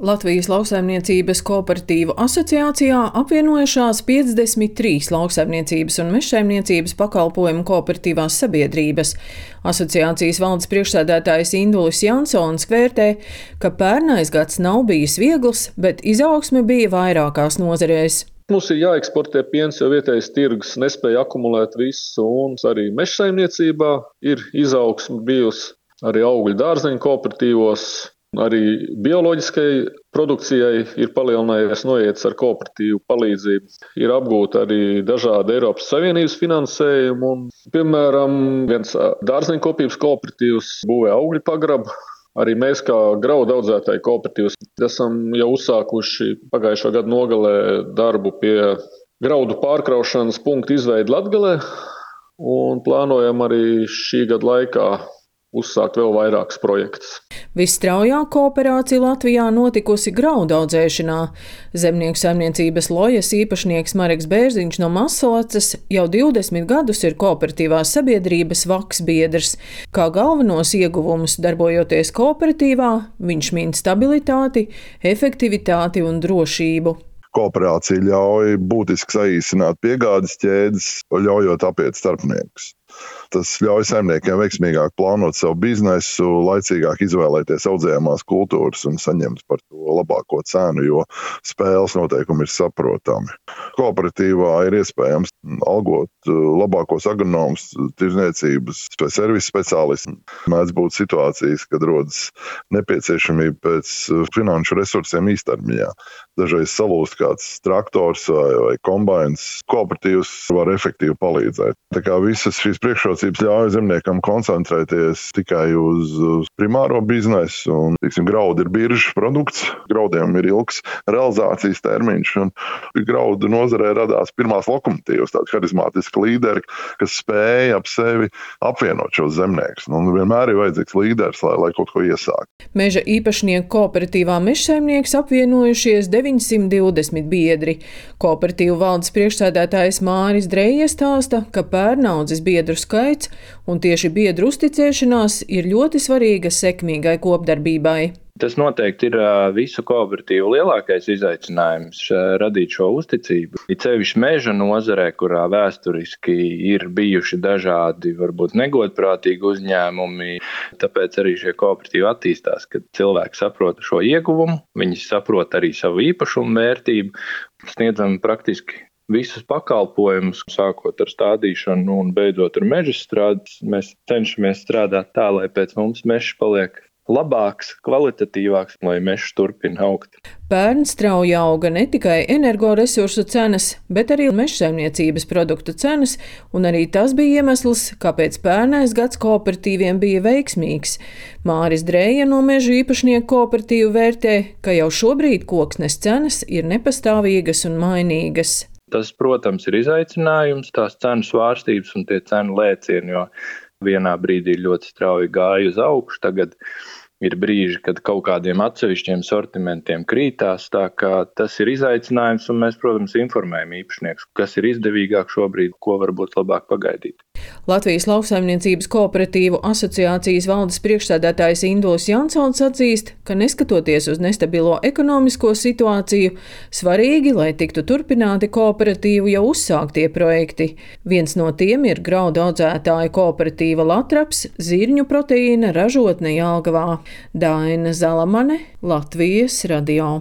Latvijas Lauksaimniecības kooperatīvu asociācijā apvienojušās 53 lauksaimniecības un mežsaimniecības pakalpojumu kooperatīvās sabiedrības. Asociācijas valdes priekšsēdētājs Indulis Jansons vērtē, ka pērnais gads nav bijis viegls, bet izaugsme bija vairākās nozarēs. Mums ir jāeksportē piens, jo vietējais tirgus nespēja akumulēt visu, un arī mežsaimniecībā ir izaugsme bijusi, arī augļu dārzeņu kooperatīvos. Arī bioloģiskai produkcijai ir palielinājies noiets ar kooperatīvu palīdzību. Ir apgūta arī dažādi Eiropas Savienības finansējumi. Un, piemēram, viens dārzeņkopības kooperatīvs būvē augļu pagrabu. Arī mēs, kā graudu audzētāju kooperatīvs, esam jau uzsākuši pagājušā gada nogalē darbu pie graudu pārkraušanas punktu izveidi Latgalē. Un plānojam arī šī gada laikā uzsākt vēl vairākus projektus. Visstraujāk kooperācija Latvijā notikusi graudu audzēšanā. Zemnieku saimniecības Lojas īpašnieks Mareks Bērziņš no Mazsalacas jau 20 gadus ir kooperatīvās sabiedrības Vaks biedrs. Kā galvenos ieguvumus darbojoties kooperatīvā, viņš min stabilitāti, efektivitāti un drošību. Kooperācija ļauj būtiski saīsināt piegādes ķēdes, ļaujot apiet starpniekus. Tas ļauj saimniekiem veiksmīgāk plānot savu biznesu, laicīgāk izvēlēties audzējamās kultūras un saņemt par to labāko cenu, jo spēles noteikumi ir saprotami. Kooperatīvā ir iespējams algot labākos agronomus, tirzniecības vai servisu speciālistus. Mēdz būt situācijas, kad rodas nepieciešamība pēc finanšu resursiem īstermiņā. Dažreiz salūst kāds traktors vai kombains. Kooperatīvs var efektīvi palīdzēt. Tā kā visas šīs priekšrocības ļauj zemniekam koncentrēties tikai uz primāro biznesu. Un, graudi ir biržas produkts, graudiem ir ilgs realizācijas termiņš. Un graudu nozarē radās pirmās lokomotīvas, tādi harizmātiski līderi, kas spēja ap sevi apvienot šos zemniekus. Un vienmēr ir vajadzīgs līderis, lai kaut ko iesāktu. Meža īpašnieku kooperatīvā mežsaimnieks apvienojušies 920 biedri. Kooperatīvu valdes priekšsēdētājs Māris Dreja stāsta, ka pērnaudzes biedru skaits un tieši biedru uzticēšanās ir ļoti svarīga sekmīgai kopdarbībai. Tas noteikti ir visu kooperatīvu lielākais izaicinājums – radīt šo uzticību. It sevišķi meža nozarē, kurā vēsturiski ir bijuši dažādi, varbūt negodprātīgi uzņēmumi, tāpēc arī šie kooperatīvi attīstās, kad cilvēki saprot šo ieguvumu, viņi saprot arī savu īpašumu vērtību, sniedzam praktiski visus pakalpojumus, sākot ar stādīšanu un beidzot ar meža strādes. Mēs cenšamies strādāt tā, lai pēc mums mežs paliek labāks, kvalitatīvāks, lai mežs turpina augt. Pērn strauji auga ne tikai energoresursu cenas, bet arī mežsaimniecības produktu cenas, un arī tas bija iemesls, kāpēc pērnais gads kooperatīviem bija veiksmīgs. Māris Dreja no meža īpašnieku kooperatīvu vērtē, ka jau šobrīd koksnes cenas ir nepastāvīgas un mainīgas. Tas, protams, ir izaicinājums, tās cenu svārstības un tie cenu lēcieni, jo vienā brīdī ļoti strauji gāja uz augšu, tagad ir brīži, kad kaut kādiem atsevišķiem sortimentiem krītās, tā kā tas ir izaicinājums, un mēs, protams, informējam īpašniekus, kas ir izdevīgāk šobrīd, ko varbūt labāk pagaidīt. Latvijas Lauksaimniecības kooperatīvu asociācijas valdes priekšsēdētājs Indulis Jansons atzīst, ka neskatoties uz nestabilo ekonomisko situāciju, svarīgi, lai tiktu turpināti kooperatīvu jau uzsāktie projekti. Viens no tiem ir graudu audzētāju kooperatīva Latraps, zirņu proteīna ražotne Jelgavā. Daina Zalamane, Latvijas radio.